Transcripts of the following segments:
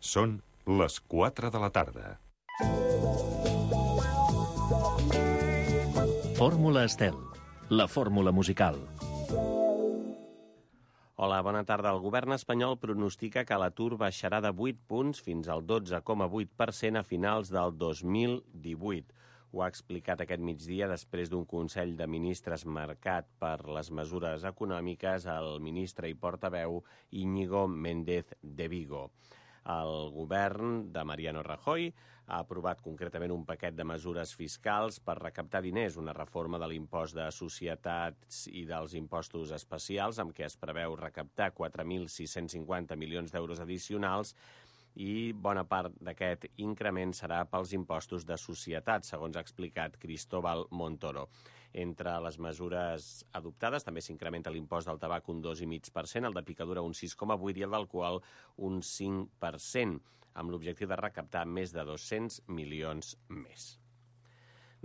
Són les 4 de la tarda. Fórmula Estel, la fórmula musical. Hola, bona tarda. El govern espanyol pronostica que l'atur baixarà de 8 punts fins al 12,8% a finals del 2018. Ho ha explicat aquest migdia després d'un Consell de Ministres marcat per les mesures econòmiques el ministre i portaveu Íñigo Méndez de Vigo. El govern de Mariano Rajoy ha aprovat concretament un paquet de mesures fiscals per recaptar diners, una reforma de l'impost de societats i dels impostos especials, amb què es preveu recaptar 4.650 milions d'euros addicionals, i bona part d'aquest increment serà pels impostos de societats, segons ha explicat Cristóbal Montoro. Entre les mesures adoptades també s'incrementa l'impost del tabac un 2,5%, el de picadura un 6,8% i el d'alcohol un 5%, amb l'objectiu de recaptar més de 200 milions més.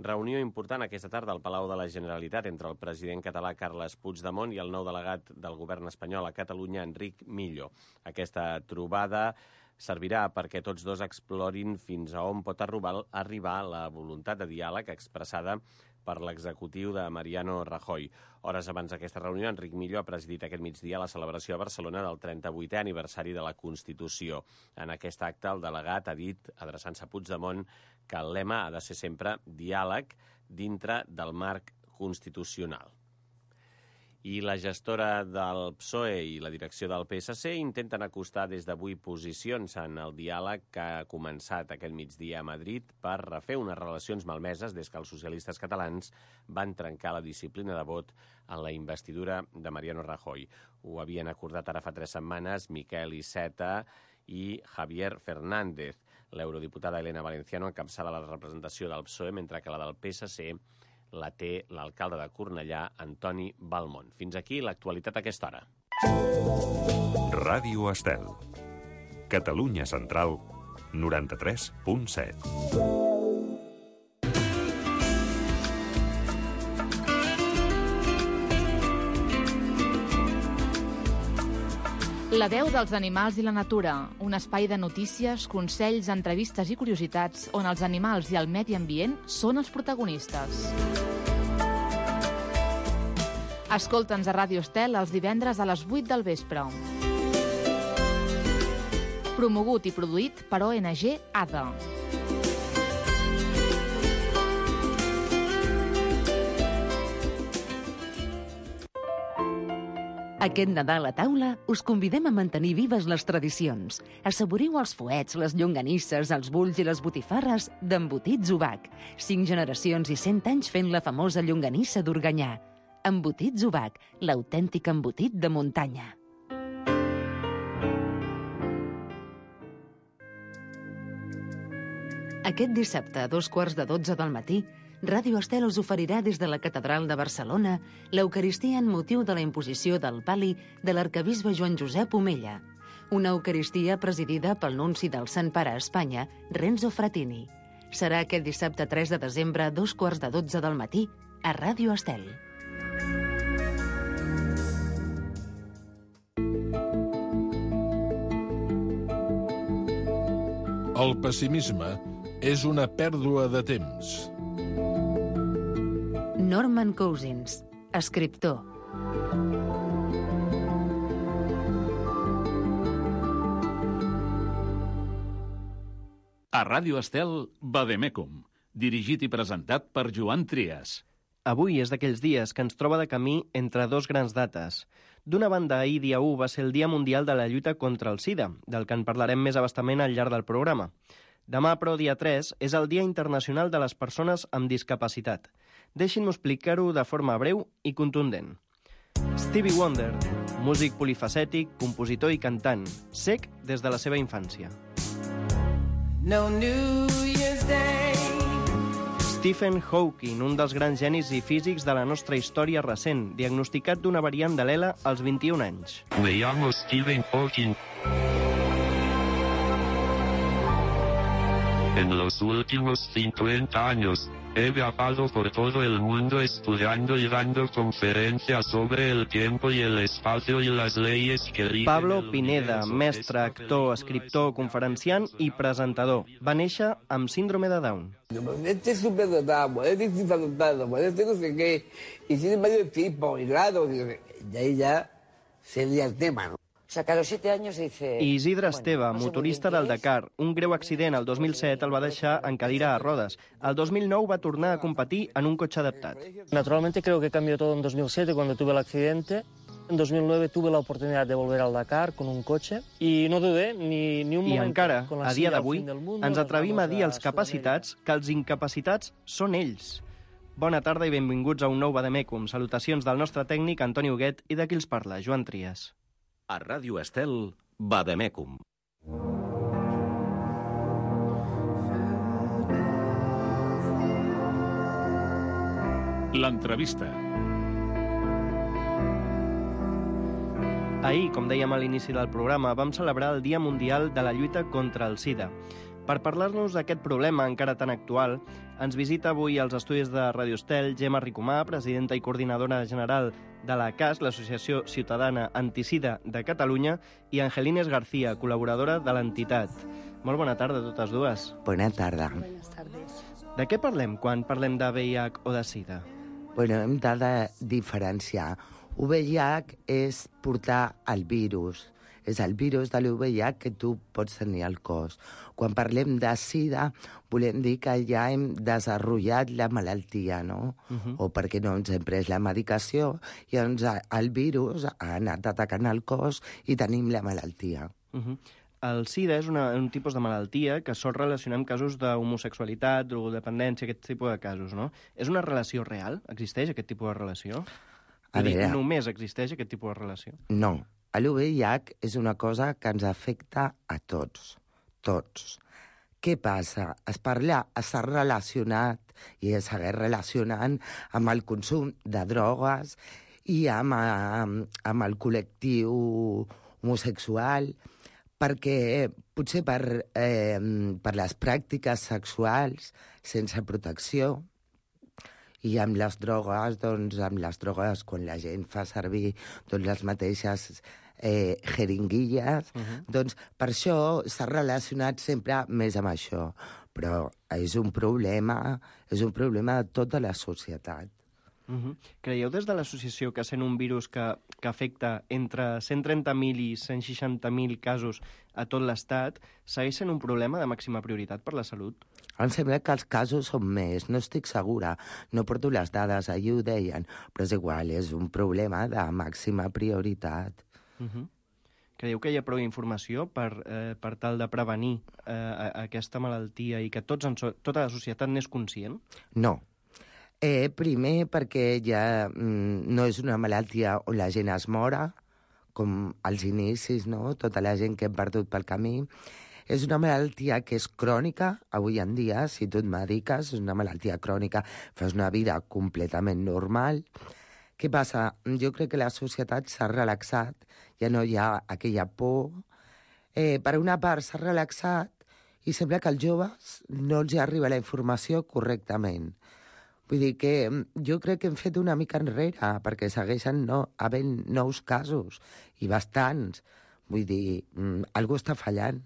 Reunió important aquesta tarda al Palau de la Generalitat entre el president català Carles Puigdemont i el nou delegat del govern espanyol a Catalunya, Enric Millo. Aquesta trobada servirà perquè tots dos explorin fins a on pot arribar la voluntat de diàleg expressada per l'executiu de Mariano Rajoy. Hores abans d'aquesta reunió, Enric Millo ha presidit aquest migdia la celebració a Barcelona del 38è aniversari de la Constitució. En aquest acte, el delegat ha dit, adreçant-se a Puigdemont, que el lema ha de ser sempre diàleg dintre del marc constitucional. I la gestora del PSOE i la direcció del PSC intenten acostar des d'avui posicions en el diàleg que ha començat aquest migdia a Madrid per refer unes relacions malmeses des que els socialistes catalans van trencar la disciplina de vot en la investidura de Mariano Rajoy. Ho havien acordat ara fa 3 setmanes Miquel Iceta i Javier Fernández. L'eurodiputada Elena Valenciano encapçala la representació del PSOE, mentre que la del PSC la té l'alcalde de Cornellà, Antoni Balmont. Fins aquí l'actualitat a aquesta hora. Ràdio Estel. Catalunya Central, 93.7. La veu dels animals i la natura, un espai de notícies, consells, entrevistes i curiositats on els animals i el medi ambient són els protagonistes. Escolta'ns a Ràdio Estel els divendres a les 8 del vespre. Promogut i produït per ONG ADA. Aquest Nadal a taula us convidem a mantenir vives les tradicions. Assaboriu els fuets, les llonganisses, els bulls i les botifarres d'Embotits Ubac. 5 generacions i 100 anys fent la famosa llonganissa d'Organyà. Embotits Ubac, l'autèntic embotit de muntanya. Aquest dissabte, a 11:15 del matí, Ràdio Estel us oferirà des de la Catedral de Barcelona l'Eucaristia en motiu de la imposició del pal·li de l'arquebisbe Joan Josep Omella. Una Eucaristia presidida pel nunci del Sant Pare a Espanya, Renzo Frattini. Serà aquest dissabte 3 de desembre a 11:15 del matí a Ràdio Estel. El pessimisme és una pèrdua de temps. Norman Cousins, escriptor. A Ràdio Estel, Vademecum, dirigit i presentat per Joan Trias. Avui és d'aquells dies que ens troba de camí entre dos grans dates. D'una banda, ahir dia 1 va ser el Dia Mundial de la Lluita contra el SIDA, del que en parlarem més abastament al llarg del programa. Demà, però, dia 3, és el Dia Internacional de les Persones amb Discapacitat. Deixin-m'ho explicar-ho de forma breu i contundent. Stevie Wonder, músic polifacètic, compositor i cantant, cec des de la seva infància. No New Year's Day. Stephen Hawking, un dels grans genis i físics de la nostra història recent, diagnosticat d'una variant de l'ELA als 21 anys. Me llamo Stephen Hawking. En los últimos 50 años, he viajado por todo el mundo estudiando y dando conferencias sobre el tiempo y el espacio y las leyes que rigen Pablo el Pineda, universo. mestre, actor, escriptor, conferenciant i presentador. Va néixer amb síndrome de Down. Este es superdotado, este es infradotado, este no sé qué, y tiene varios tipos, y claro, y ahí ya sería el tema, ¿no? O sea, que a los 7 años dice... I Isidre Esteve, no sé muy motorista bien del qué es. Dakar. Un greu accident el 2007 el va deixar en cadira de rodes. El 2009 va tornar a competir en un cotxe adaptat. Naturalmente creo que cambió todo en 2007 cuando tuve el accidente. En 2009 tuve la oportunidad de volver al Dakar con un coche y no dudé ni un I momento. encara, Con la a dia silla al d'avui, fin del mundo, ens nos atrevim vamos a dir als Sudamérica. capacitats que els incapacitats són ells. Bona tarda i benvinguts a un nou Vademecum. Salutacions del nostre tècnic Antoni Huguet i de qui els parla, Joan Trias. A Ràdio Estel, Vademecum. L'entrevista. Ahir, com dèiem a l'inici del programa, vam celebrar el Dia Mundial de la Lluita contra el SIDA. Per parlar-nos d'aquest problema encara tan actual, ens visita avui als estudis de Radio Estel Gemma Ricomà, presidenta i coordinadora general de la CAS, l'Associació Ciutadana Antisida de Catalunya, i Angelines García, col·laboradora de l'entitat. Molt bona tarda a totes dues. Bona tarda. Buenas tardes. De què parlem quan parlem de VIH o de SIDA? Bueno, hem de diferenciar. VIH és portar el virus. És el virus de l'VIH que tu pots tenir al cos. Quan parlem de SIDA, volem dir que ja hem desenvolupat la malaltia, no? O perquè no ens hem pres la medicació i doncs el virus ha anat atacant el cos i tenim la malaltia. El SIDA és un tipus de malaltia que sol relacionar amb casos d'homosexualitat, drogodependència, aquest tipus de casos, no? És una relació real? Existeix aquest tipus de relació? A veure, només existeix aquest tipus de relació? No. L'VIH és una cosa que ens afecta a tots. Tots. Què passa? Està relacionat i es segueix relacionant amb el consum de drogues i amb el col·lectiu homosexual, perquè potser per les pràctiques sexuals sense protecció i amb les drogues, quan la gent fa servir les mateixes jeringuilles, doncs per això s'ha relacionat sempre més amb això. Però és un problema de tota la societat. Creieu des de l'associació que sent un virus que afecta entre 130.000 i 160.000 casos a tot l'Estat, segueix sent un problema de màxima prioritat per la salut? Em sembla que els casos són més, no estic segura, no porto les dades, ahir ho deien, però és igual, és un problema de màxima prioritat. Creieu que hi ha prou informació per tal de prevenir aquesta malaltia i que tota la societat n'és conscient? No. Primer perquè ja no és una malaltia on la gent es mora, com als inicis, no? Tota la gent que hem perdut pel camí. És una malaltia que és crònica, avui en dia, si tu et mediques, és una malaltia crònica, fas una vida completament normal. Què passa? Jo crec que la societat s'ha relaxat, ja no hi ha aquella por. Per una part s'ha relaxat i sembla que als joves no els arriba la informació correctament. Vull dir que jo crec que hem fet una mica enrere, perquè segueixen havent nous casos, i bastants. Vull dir, algú està fallant.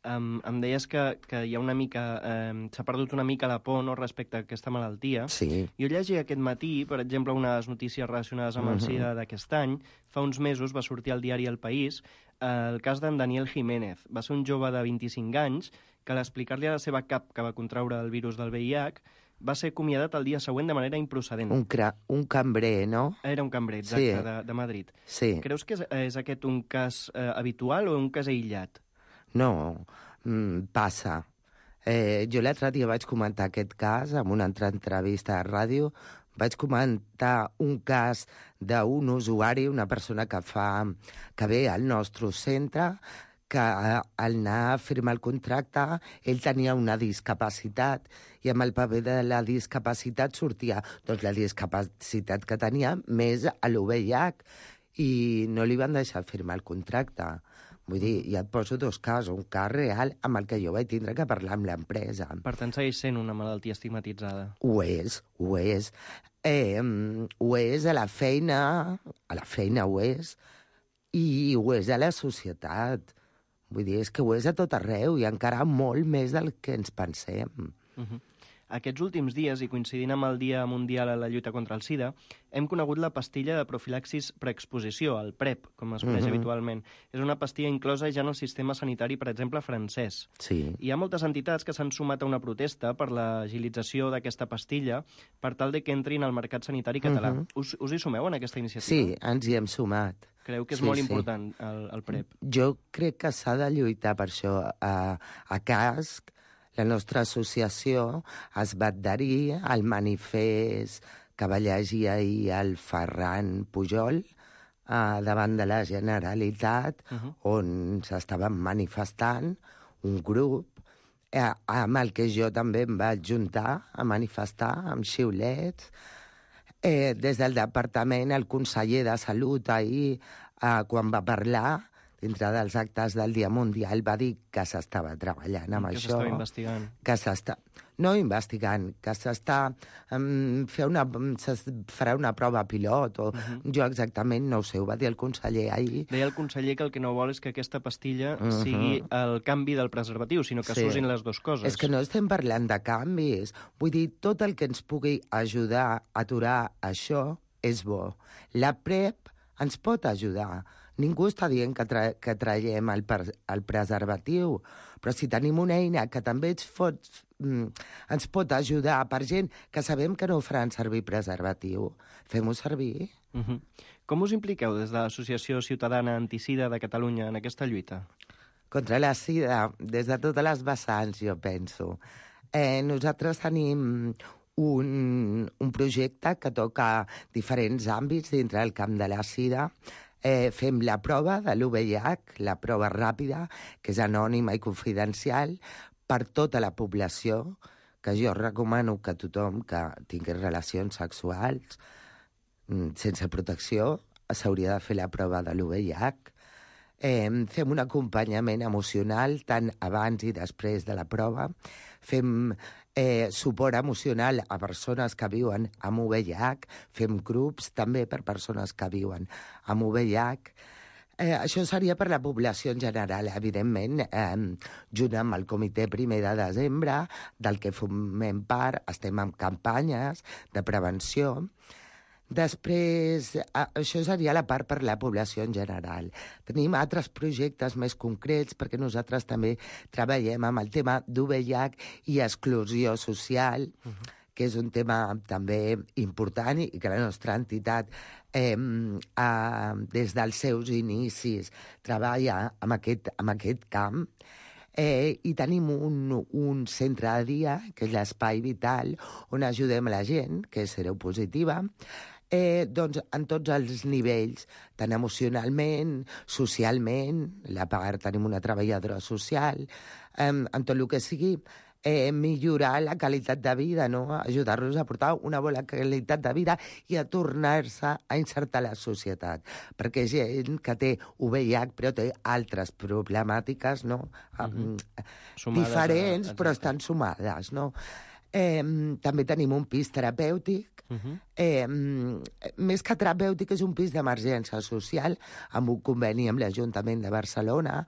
Em deies que hi ha una mica... s'ha perdut una mica la por, no?, respecte a aquesta malaltia. Sí. Jo llegia aquest matí, per exemple, unes notícies relacionades amb el SIDA d'aquest any. Fa uns mesos va sortir al diari El País el cas d'en Daniel Jiménez. Va ser un jove de 25 anys que a l'explicar-li a la seva cap que va contraure el virus del VIH va ser acomiadat el dia següent de manera improcedent. Un cambrer, no? Era un cambrer, exacte, sí. de Madrid. Sí. Creus que és aquest un cas habitual o un cas aïllat? No, passa. Jo l'altre dia vaig comentar aquest cas en una altra entrevista a ràdio. Vaig comentar un cas d'un usuari, una persona que ve al nostre centre, que al anar a firmar el contracte ell tenia una discapacitat i amb el paper de la discapacitat sortia la discapacitat que tenia més a l'VIH i no li van deixar firmar el contracte. Vull dir, ja et poso dos casos, un cas real amb el que jo vaig tindre que parlar amb l'empresa. Per tant, segueix sent una malaltia estigmatitzada. Ho és. Ho és a la feina ho és, i ho és a la societat. Vull dir, és que ho és a tot arreu, i encara molt més del que ens pensem. Aquests últims dies, i coincidint amb el Dia Mundial a la lluita contra el SIDA, hem conegut la pastilla de profilaxis preexposició, el PrEP, com es coneix habitualment. És una pastilla inclosa ja en el sistema sanitari, per exemple, francès. Sí. Hi ha moltes entitats que s'han sumat a una protesta per l'agilització d'aquesta pastilla per tal de que entrin al mercat sanitari català. Us hi sumeu en aquesta iniciativa? Sí, ens hi hem sumat. Creu que és molt important el PrEP? Jo crec que s'ha de lluitar per això. A CASC, la nostra associació es va adherir al manifest que va llegir ahir el Ferran Pujol davant de la Generalitat, on s'estaven manifestant un grup amb el que jo també em vaig juntar a manifestar amb xiulets. Des del departament, el conseller de Salut ahir, quan va parlar, dintre dels actes del Dia Mundial, va dir que s'estava treballant amb això. Que s'estava investigant. No investigant, que s'està farà una prova pilot, o jo exactament no ho sé, ho va dir el conseller ahir. Deia el conseller que el que no vol és que aquesta pastilla sigui el canvi del preservatiu, sinó que s'usin les dues coses. És que no estem parlant de canvis. Vull dir, tot el que ens pugui ajudar a aturar això és bo. La PrEP ens pot ajudar. Ningú està dient que traiem el preservatiu, però si tenim una eina que també ens pot ajudar per gent que sabem que no faran servir preservatiu, fem-ho servir. Com us impliqueu des de l'Associació Ciutadana Antisida de Catalunya en aquesta lluita? Contra la sida, des de totes les vessants, jo penso. Nosaltres tenim un projecte que toca diferents àmbits dintre del camp de la sida. Fem la prova de l'UVIH, la prova ràpida, que és anònima i confidencial, per tota la població, que jo recomano que tothom que tingui relacions sexuals sense protecció s'hauria de fer la prova de l'UVIH. Fem un acompanyament emocional tant abans i després de la prova. Fem suport emocional a persones que viuen amb VIH. Fem grups també per persones que viuen amb VIH. Això seria per la població en general, evidentment, junt amb el Comitè Primer de Desembre, del que formem part, estem en campanyes de prevenció. Després, això seria la part per la població en general. Tenim altres projectes més concrets, perquè nosaltres també treballem amb el tema d'UVIH i exclusió social, que és un tema també important i que la nostra entitat des dels seus inicis treballa amb aquest camp. I tenim un centre de dia, que és l'Espai Vital, on ajudem la gent que és seropositiva, doncs en tots els nivells, tant emocionalment, socialment, tenim una treballadora social, en tot el que sigui, millorar la qualitat de vida, no? Ajudar-los a portar una bona qualitat de vida i a tornar-se a insertar a la societat. Perquè gent que té VIH però té altres problemàtiques, no? Diferents, però estan sumades, no? També tenim un pis terapèutic. Més que terapèutic, és un pis d'emergència social amb un conveni amb l'Ajuntament de Barcelona,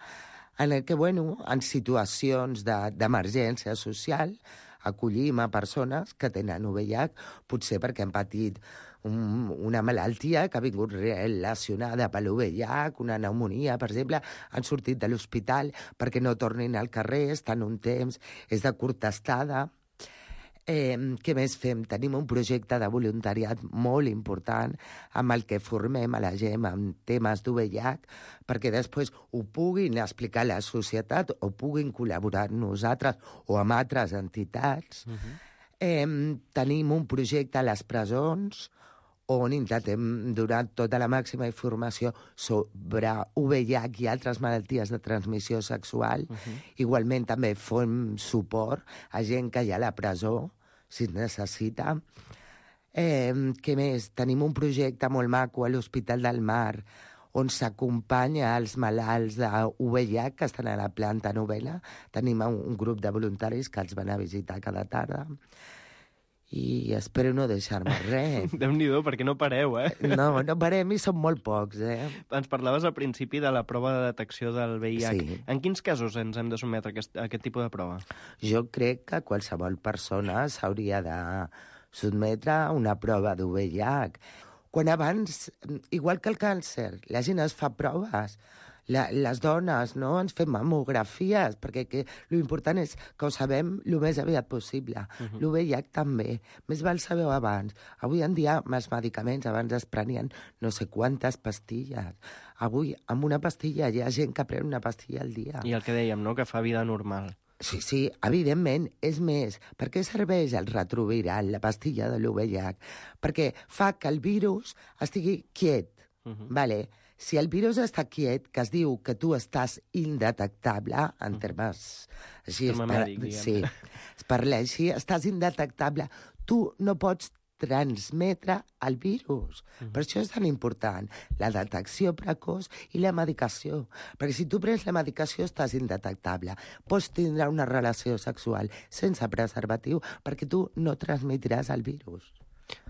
en el que, en situacions d'emergència social, acollim a persones que tenen VIH, potser perquè han patit una malaltia que ha vingut relacionada per l'VIH, una pneumonia, per exemple, han sortit de l'hospital perquè no tornin al carrer, estan un temps, és de curta estada. Què més fem? Tenim un projecte de voluntariat molt important amb el que formem a la gent amb temes d'UVIH perquè després ho puguin explicar a la societat o puguin col·laborar amb nosaltres o amb altres entitats. Tenim un projecte a les presons on intentem donar tota la màxima informació sobre VIH i altres malalties de transmissió sexual. Igualment també fem suport a gent que hi ha a la presó, si es necessita. Què més? Tenim un projecte molt maco a l'Hospital del Mar, on s'acompanya els malalts de VIH que estan a la planta novena. Tenim un grup de voluntaris que els van a visitar cada tarda. I espero no deixar-me res. Déu-n'hi-do, perquè no pareu, eh? No parem i som molt pocs, eh? Ens parlaves al principi de la prova de detecció del VIH. Sí. En quins casos ens hem de sotmetre a aquest tipus de prova? Jo crec que qualsevol persona s'hauria de sotmetre a una prova de VIH. Quan abans, igual que el càncer, la gent es fa proves. Les dones, no?, ens fem mamografies, perquè l'important és que ho sabem el més aviat possible. El VIH també. Més val saber-ho abans. Avui en dia, amb els medicaments, abans es prenien no sé quantes pastilles. Avui, amb una pastilla, hi ha gent que pren una pastilla al dia. I el que dèiem, no?, que fa vida normal. Sí, evidentment. És més, per què serveix el retroviral, la pastilla de l'VIH? Perquè fa que el virus estigui quiet, vale? Si el virus està quiet, que es diu que tu estàs indetectable, en termes així, es parla així, estàs indetectable, tu no pots transmetre el virus. Per això és tan important la detecció precoç i la medicació. Perquè si tu prens la medicació estàs indetectable. Pots tindre una relació sexual sense preservatiu perquè tu no transmetràs el virus.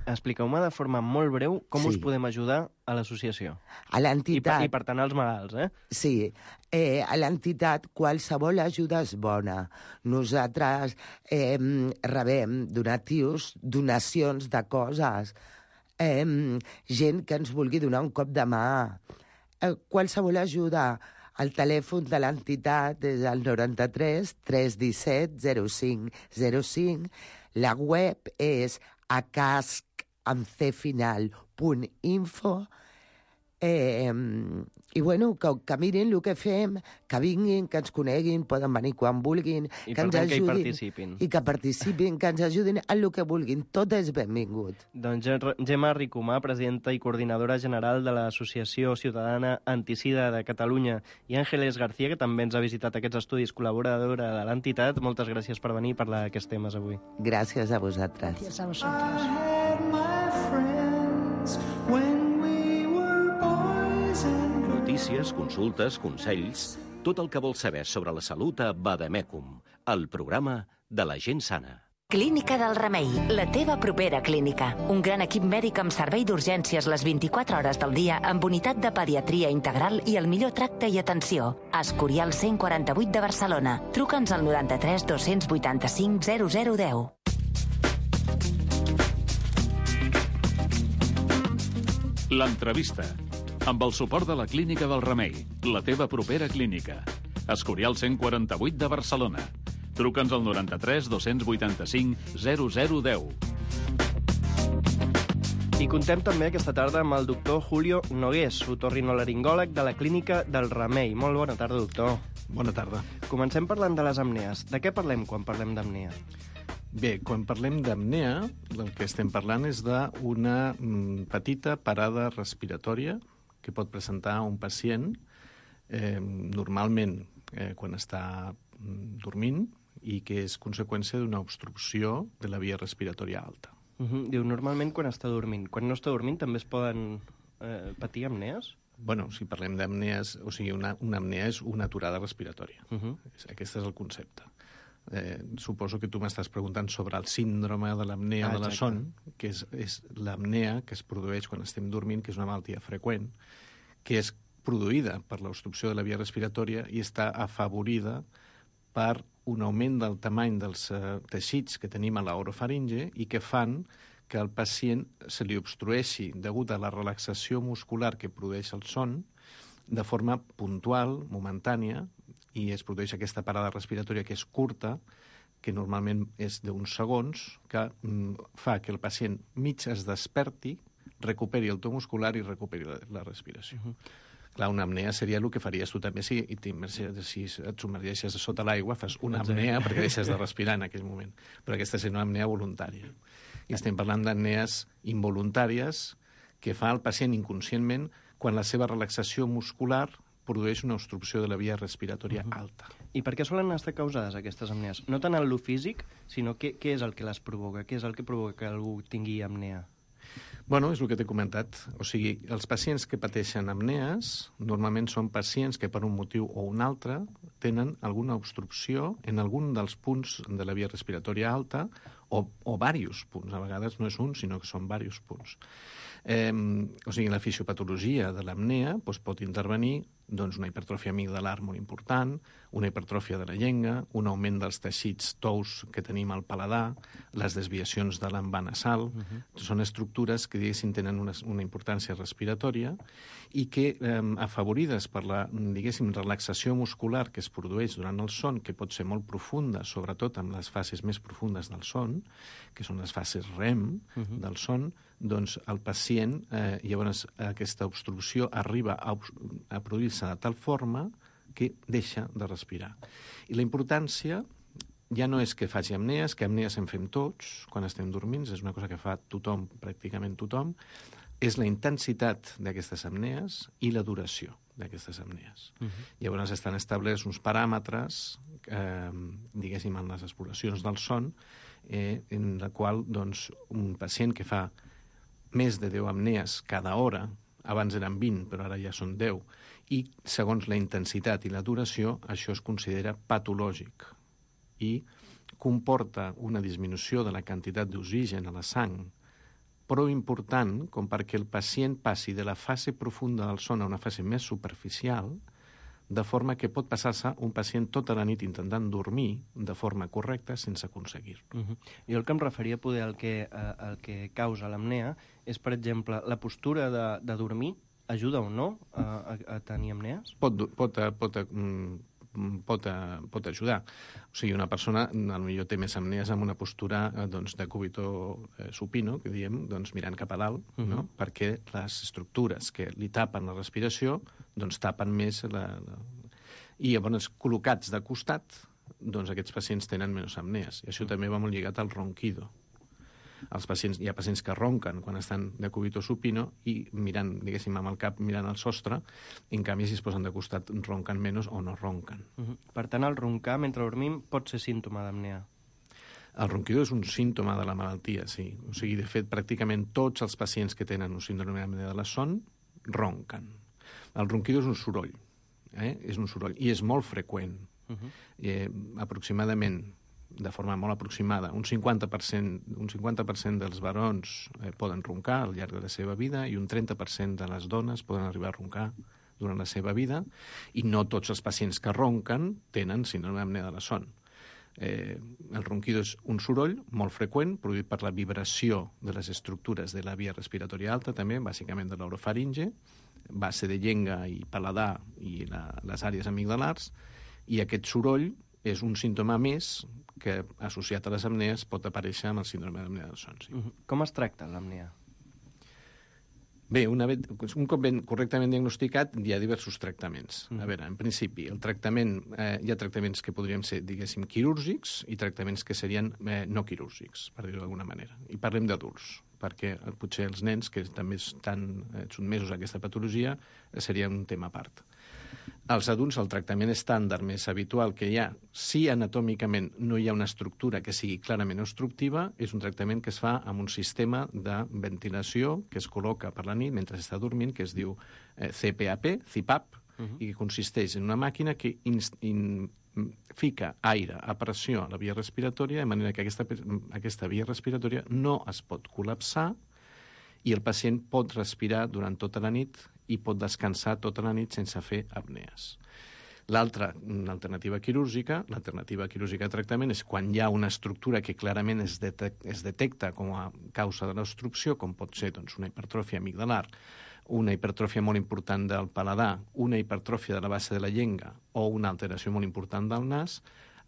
Expliqueu-me de forma molt breu com us podem ajudar a l'associació. A l'entitat. I per tant als malalts, eh? Sí. A l'entitat qualsevol ajuda és bona. Nosaltres rebem donatius, donacions de coses, gent que ens vulgui donar un cop de mà. Qualsevol ajuda. El telèfon de l'entitat és el 93 317 0505. La web és acascamcfinal.info i bueno, que mirin el que fem, que vinguin, que ens coneguin, poden venir quan vulguin, i que ens ajudin, que hi participin. I que participin, que ens ajudin en el que vulguin. Tot és benvingut. Doncs Gemma Ricomà, presidenta i coordinadora general de l'Associació Ciutadana Antisida de Catalunya, i Àngeles García, que també ens ha visitat aquests estudis, col·laboradora de l'entitat. Moltes gràcies per venir i parlar d'aquests temes avui. Gràcies a vosaltres. Gràcies a vosaltres. Notícies, consultes, consells, tot el que vols saber sobre la salut a Vademecum, el programa de la gent sana. Clínica del Remei, la teva propera clínica. Un gran equip mèdic amb servei d'urgències les 24 hores del dia, amb unitat de pediatria integral i el millor tracte i atenció. Escorial 148 de Barcelona. Truca'ns al 93 285 0010. L'entrevista, amb el suport de la Clínica del Remei, la teva propera clínica. Escorial 148 de Barcelona. Truca'ns al 93 285 0010. I contem també aquesta tarda amb el doctor Julio Nogués, otorrinolaringòleg de la Clínica del Remei. Molt bona tarda, doctor. Bona tarda. Comencem parlant de les apnees. De què parlem quan parlem d'apnea? Bé, quan parlem d'apnea, el que estem parlant és d'una petita parada respiratòria que pot presentar un pacient normalment quan està dormint i que és conseqüència d'una obstrucció de la via respiratòria alta. Diu, normalment quan està dormint. Quan no està dormint també es poden patir apnees? Bueno, si parlem d'apnees, o sigui, una apnea és una aturada respiratòria. Aquest és el concepte. Suposo que tu m'estàs preguntant sobre el síndrome de l'apnea de la son, que és l'apnea que es produeix quan estem dormint, que és una malaltia freqüent, que és produïda per l'obstrucció de la via respiratòria i està afavorida per un augment del tamany dels teixits que tenim a l'orofaringe i que fan que al pacient se li obstrueixi degut a la relaxació muscular que produeix el son de forma puntual, momentània, i es produeix aquesta parada respiratòria que és curta, que normalment és d'uns segons, que fa que el pacient mig es desperti, recuperi el to muscular i recuperi la respiració. Clar, una apnea seria el que faries tu també si et submergeixes sota l'aigua, fas una apnea perquè deixes de respirar en aquell moment. Però aquesta és una apnea voluntària. I estem parlant d'apnees involuntàries que fa el pacient inconscientment quan la seva relaxació muscular produeix una obstrucció de la via respiratòria alta. I per què solen estar causades aquestes apnees? No tant en lo físic, sinó què és el que les provoca? Què és el que provoca que algú tingui apnea? Bueno, és el que t'he comentat. O sigui, els pacients que pateixen apnees normalment són pacients que per un motiu o un altre tenen alguna obstrucció en algun dels punts de la via respiratòria alta o diversos punts. A vegades no és un, sinó que són diversos punts. O sigui, la fisiopatologia de l'apnea pot intervenir una hipertròfia amigdalar molt important, una hipertròfia de la llengua, un augment dels teixits tous que tenim al paladar, les desviacions de l'envà nasal. Són estructures que, diguéssim, tenen una importància respiratòria i que, afavorides per la, diguéssim, relaxació muscular que es produeix durant el son, que pot ser molt profunda, sobretot en les fases més profundes del son, que són les fases REM del son, doncs el pacient, llavors aquesta obstrucció arriba a produir-se de tal forma que deixa de respirar. I la importància ja no és que faci apnees, que apnees en fem tots quan estem dormint, és una cosa que fa tothom, pràcticament tothom, és la intensitat d'aquestes apnees i la duració d'aquestes apnees. Llavors estan establerts uns paràmetres, diguéssim, en les exploracions del son, en la qual un pacient que fa més de 10 apnees cada hora, abans eren 20, però ara ja són 10, i segons la intensitat i la duració, això es considera patològic i comporta una disminució de la quantitat d'oxigen a la sang prou important com perquè el pacient passi de la fase profunda del son a una fase més superficial, de forma que pot passar-se un pacient tota la nit intentant dormir de forma correcta sense aconseguir-ho. Jo el que em referia poder al que causa l'apnea és, per exemple, la postura de dormir ajuda o no a tenir apnees? Pot ajudar. O sigui, una persona potser té més apnees amb una postura de cúbito supino, que diem, mirant cap a dalt, perquè les estructures que li tapen la respiració tapen més i llavors col·locats de costat aquests pacients tenen menys apnees. I això també va molt lligat al ronquido. Hi ha pacients que ronquen quan estan de cúbito supino i mirant, diguéssim, amb el cap mirant al sostre, en canvi, si es posen de costat, ronquen menys o no ronquen. Per tant, el roncar mentre dormim pot ser símptoma d'apnea? El ronquido és un símptoma de la malaltia, sí. O sigui, de fet, pràcticament tots els pacients que tenen un síndrome d'apnea de la son ronquen. El ronquido és un soroll, és un soroll, i és molt freqüent. Aproximadament, de forma molt aproximada, un 50% dels barons poden roncar al llarg de la seva vida i un 30% de les dones poden arribar a roncar durant la seva vida, i no tots els pacients que ronquen tenen síndrome d'apnea de la son. El ronquido és un soroll molt freqüent, produït per la vibració de les estructures de la via respiratòria alta, també, bàsicament de l'orofaringe, base de llengua i paladar i les àrees amigdalars, i aquest soroll és un símptoma més que, associat a les apnees, pot aparèixer amb el síndrome d'apnea del son. Sí. Com es tracta l'apnea? Bé, un cop ben correctament diagnosticat, hi ha diversos tractaments. A veure, en principi, el tractament, hi ha tractaments que podrien ser, diguéssim, quirúrgics i tractaments que serien no quirúrgics, per dir-ho d'alguna manera. I parlem d'adults, perquè potser els nens, que també estan sotmesos a aquesta patologia, seria un tema a part. Als adults, el tractament estàndard més habitual que hi ha, si anatòmicament no hi ha una estructura que sigui clarament obstructiva, és un tractament que es fa amb un sistema de ventilació que es col·loca per la nit mentre està dormint, que es diu CPAP, i que consisteix en una màquina que fica aire a pressió a la via respiratòria, de manera que aquesta via respiratòria no es pot col·lapsar i el pacient pot respirar durant tota la nit i pot descansar tota la nit sense fer apnees. L'alternativa quirúrgica de tractament és quan hi ha una estructura que clarament es detecta com a causa de l'obstrucció, com pot ser una hipertròfia amigdalar, una hipertròfia molt important del paladar, una hipertròfia de la base de la llengua o una alteració molt important del nas.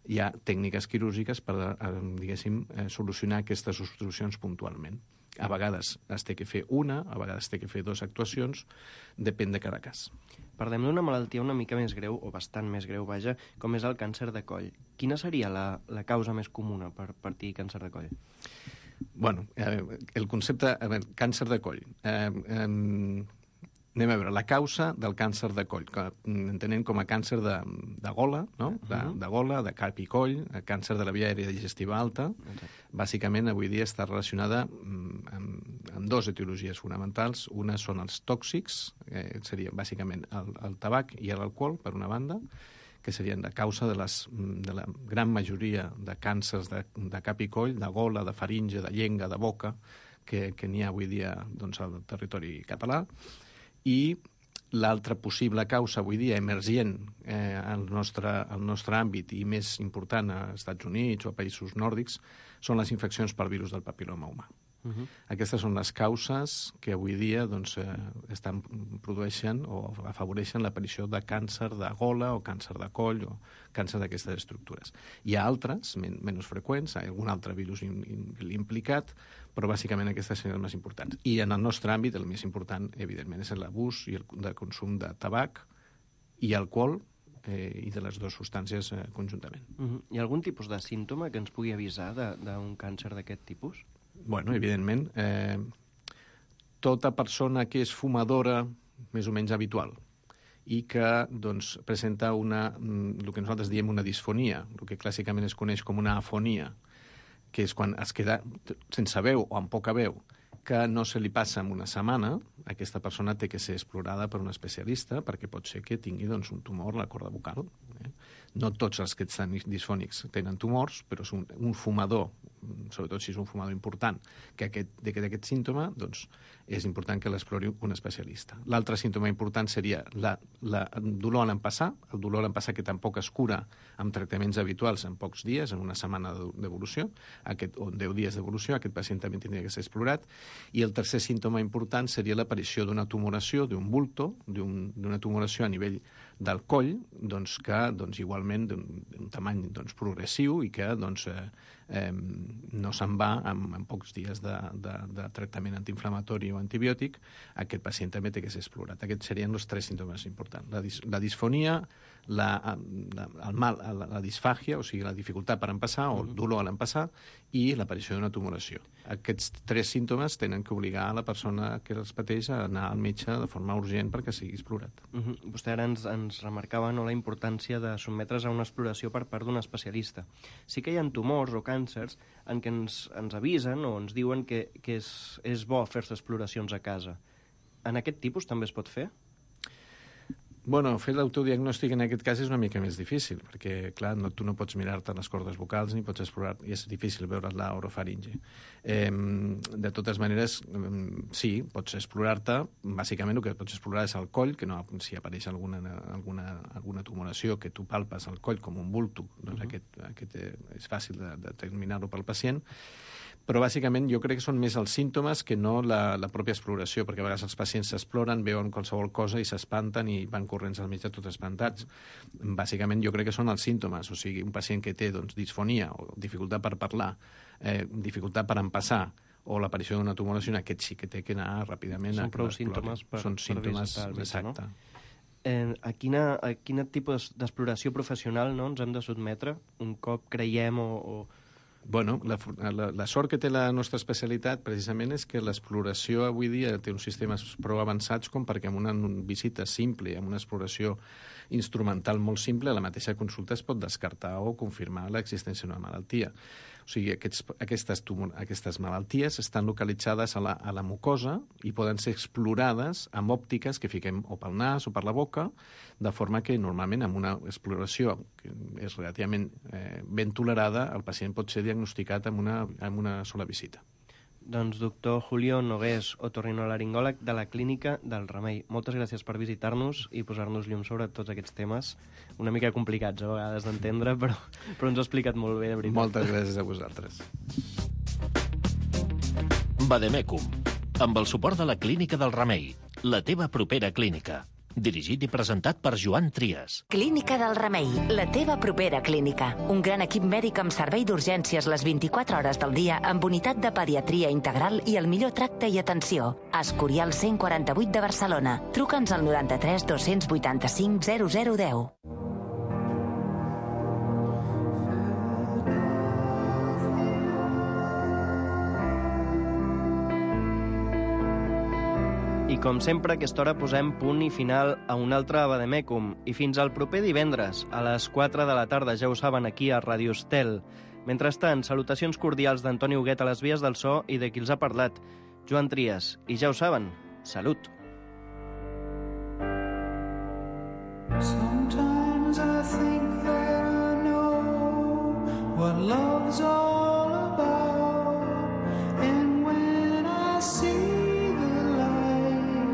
Hi ha tècniques quirúrgiques per, diguéssim, solucionar aquestes obstruccions puntualment. A vegades es té que fer una, a vegades té que fer 2 actuacions, depèn de cada cas. Parlem d'una malaltia una mica més greu, o bastant més greu, vaja, com és el càncer de coll. Quina seria la causa més comuna per patir càncer de coll? Bueno, el concepte... càncer de coll. Anem a veure, la causa del càncer de coll, que entenem com a càncer de gola, no? De gola, de cap i coll, càncer de la via aèria digestiva alta. Bàsicament, avui dia està relacionada amb amb dues etiologies fonamentals. Una són els tòxics, seria bàsicament el tabac i l'alcohol, per una banda, que serien de causa de la gran majoria de càncers de cap i coll, de gola, de faringe, de llengua, de boca, que n'hi ha avui dia doncs, al territori català. I l'altra possible causa avui dia emergent al nostre àmbit i més important als Estats Units o a països nòrdics són les infeccions per virus del papil·loma humà. Aquestes són les causes que avui dia produeixen o afavoreixen l'aparició de càncer de gola o càncer de coll o càncer d'aquestes estructures. Hi ha altres, menys freqüents, hi ha algun altre virus implicat, però bàsicament aquestes són les més importants. I en el nostre àmbit, el més important, evidentment, és l'abús i el consum de tabac i alcohol i de les dues substàncies conjuntament. Hi ha algun tipus de símptoma que ens pugui avisar d'un càncer d'aquest tipus? Bueno, evidentment, tota persona que és fumadora més o menys habitual i que doncs, presenta el que nosaltres diem una disfonia, el que clàssicament es coneix com una afonia, que és quan es queda sense veu o amb poca veu, que no se li passa en una setmana, aquesta persona té que ser explorada per un especialista perquè pot ser que tingui un tumor a la corda vocal. No tots els que estan disfònics tenen tumors, però és un fumador, sobretot si és un fumador important, que d'aquest símptoma, doncs, és important que l'explori un especialista. L'altre símptoma important seria el dolor a l'empassar, el dolor a l'empassar que tampoc es cura amb tractaments habituals en pocs dies, en una setmana d'evolució, o 10 dies d'evolució, aquest pacient també tindria que ser explorat. I el tercer símptoma important seria l'aparició d'una tumoració, d'un bulto, d'una tumoració a nivell del coll, doncs, que igualment d'un tamany progressiu i que no se'n va en pocs dies de tractament antiinflamatori o antibiòtic. Aquest pacient també té que ser explorat. Aquests serien els tres símptomes importants. La disfonia, la disfàgia, o sigui, la dificultat per empassar, o el dolor a l'empassar, i l'aparició d'una tumoració. Aquests tres símptomes tenen que obligar a la persona que els pateix a anar al metge de forma urgent perquè sigui explorat. Vostè ara ens remarcava la importància de sotmetre's a una exploració per part d'un especialista. Sí que hi ha tumors o càncers en què ens avisen o ens diuen que és bo fer-se exploracions a casa. En aquest tipus també es pot fer? Bueno, fer l'autodiagnòstic en aquest cas és una mica més difícil, perquè, clar, tu no pots mirar-te les cordes vocals ni pots explorar, i és difícil veure la orofaringe. De totes maneres, sí, pots explorar-te. Bàsicament el que pots explorar és el coll, que si apareix alguna tumoració que tu palpes al coll com un bulto, doncs aquest és fàcil de determinar-ho pel pacient. Però bàsicament jo crec que són més els símptomes que no la pròpia exploració, perquè a vegades els pacients s'exploren, veuen qualsevol cosa i s'espanten i van corrents al metge tots espantats. Bàsicament jo crec que són els símptomes, o sigui, un pacient que té disfonia o dificultat per parlar, dificultat per empassar o l'aparició d'una tumoració, aquest sí que té que anar ràpidament a que l'explorin. Són símptomes, exacte. A quin tipus d'exploració professional ens hem de sotmetre un cop creiem o... Bueno, la sort que té la nostra especialitat precisament és que l'exploració avui dia té uns sistemes prou avançats com perquè amb una visita simple, amb una exploració instrumental molt simple, la mateixa consulta es pot descartar o confirmar l'existència d'una malaltia. O sigui, aquestes malalties estan localitzades a la mucosa i poden ser explorades amb òptiques que fiquem o pel nas o per la boca, de forma que normalment amb una exploració que és relativament ben tolerada, el pacient pot ser diagnosticat amb una sola visita. Doncs doctor Julio Nogués, otorrinolaringòleg de la Clínica del Remei. Moltes gràcies per visitar-nos i posar-nos llum sobre tots aquests temes, una mica complicats a vegades d'entendre, però ens ho ha explicat molt bé, de veritat. Moltes gràcies a vosaltres. Vademecum, amb el suport de la Clínica del Remei, la teva propera clínica. Dirigit i presentat per Joan Trias. Clínica del Remei, la teva propera clínica. Un gran equip mèdic amb servei d'urgències les 24 hores del dia amb unitat de pediatria integral i el millor tracte i atenció. Escorial 148 de Barcelona. Truca'ns al 93 285 0010. I com sempre, a aquesta hora posem punt i final a un altre Vademecum. I fins al proper divendres, a les 4 de la tarda, ja ho saben, aquí a Ràdio Estel. Mentrestant, salutacions cordials d'Antoni Huguet a les vies del so i de qui els ha parlat. Joan Trias. I ja ho saben, salut! Sometimes I think that I know what love's all about, and when I see the light,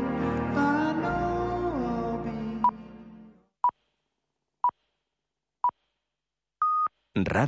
I know I'll be... Radio